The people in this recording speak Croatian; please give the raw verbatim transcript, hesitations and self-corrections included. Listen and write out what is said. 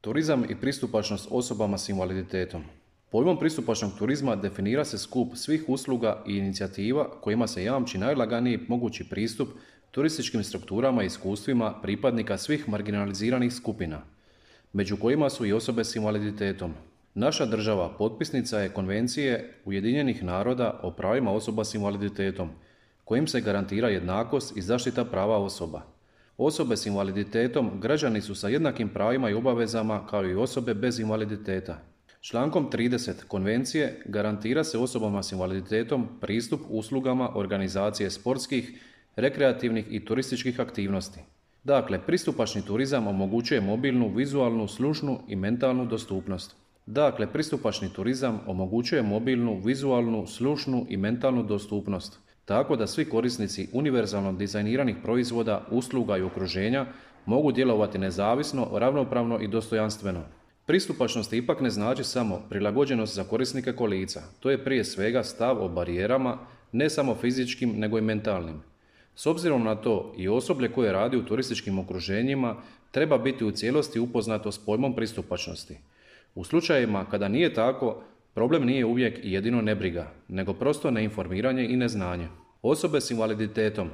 Turizam i pristupačnost osobama s invaliditetom. Pojmom pristupačnog turizma definira se skup svih usluga i inicijativa kojima se jamči najlaganiji mogući pristup turističkim strukturama i iskustvima pripadnika svih marginaliziranih skupina, među kojima su i osobe s invaliditetom. Naša država potpisnica je Konvencije Ujedinjenih naroda o pravima osoba s invaliditetom, kojim se garantira jednakost i zaštita prava osoba. Osobe s invaliditetom građani su sa jednakim pravima i obavezama kao i osobe bez invaliditeta. Člankom trideset Konvencije garantira se osobama s invaliditetom pristup uslugama organizacije sportskih, rekreativnih i turističkih aktivnosti. Dakle, pristupačni turizam omogućuje mobilnu, vizualnu, slušnu i mentalnu dostupnost. Dakle, pristupačni turizam omogućuje mobilnu, vizualnu, slušnu i mentalnu dostupnost, tako da svi korisnici univerzalno dizajniranih proizvoda, usluga i okruženja mogu djelovati nezavisno, ravnopravno i dostojanstveno. Pristupačnost ipak ne znači samo prilagođenost za korisnike kolica. To je prije svega stav o barijerama, ne samo fizičkim nego i mentalnim. S obzirom na to i osoblje koje radi u turističkim okruženjima treba biti u cijelosti upoznato s pojmom pristupačnosti. U slučajevima kada nije tako, problem nije uvijek i jedino nebriga, nego prosto neinformiranje i neznanje. Osobe s invaliditetom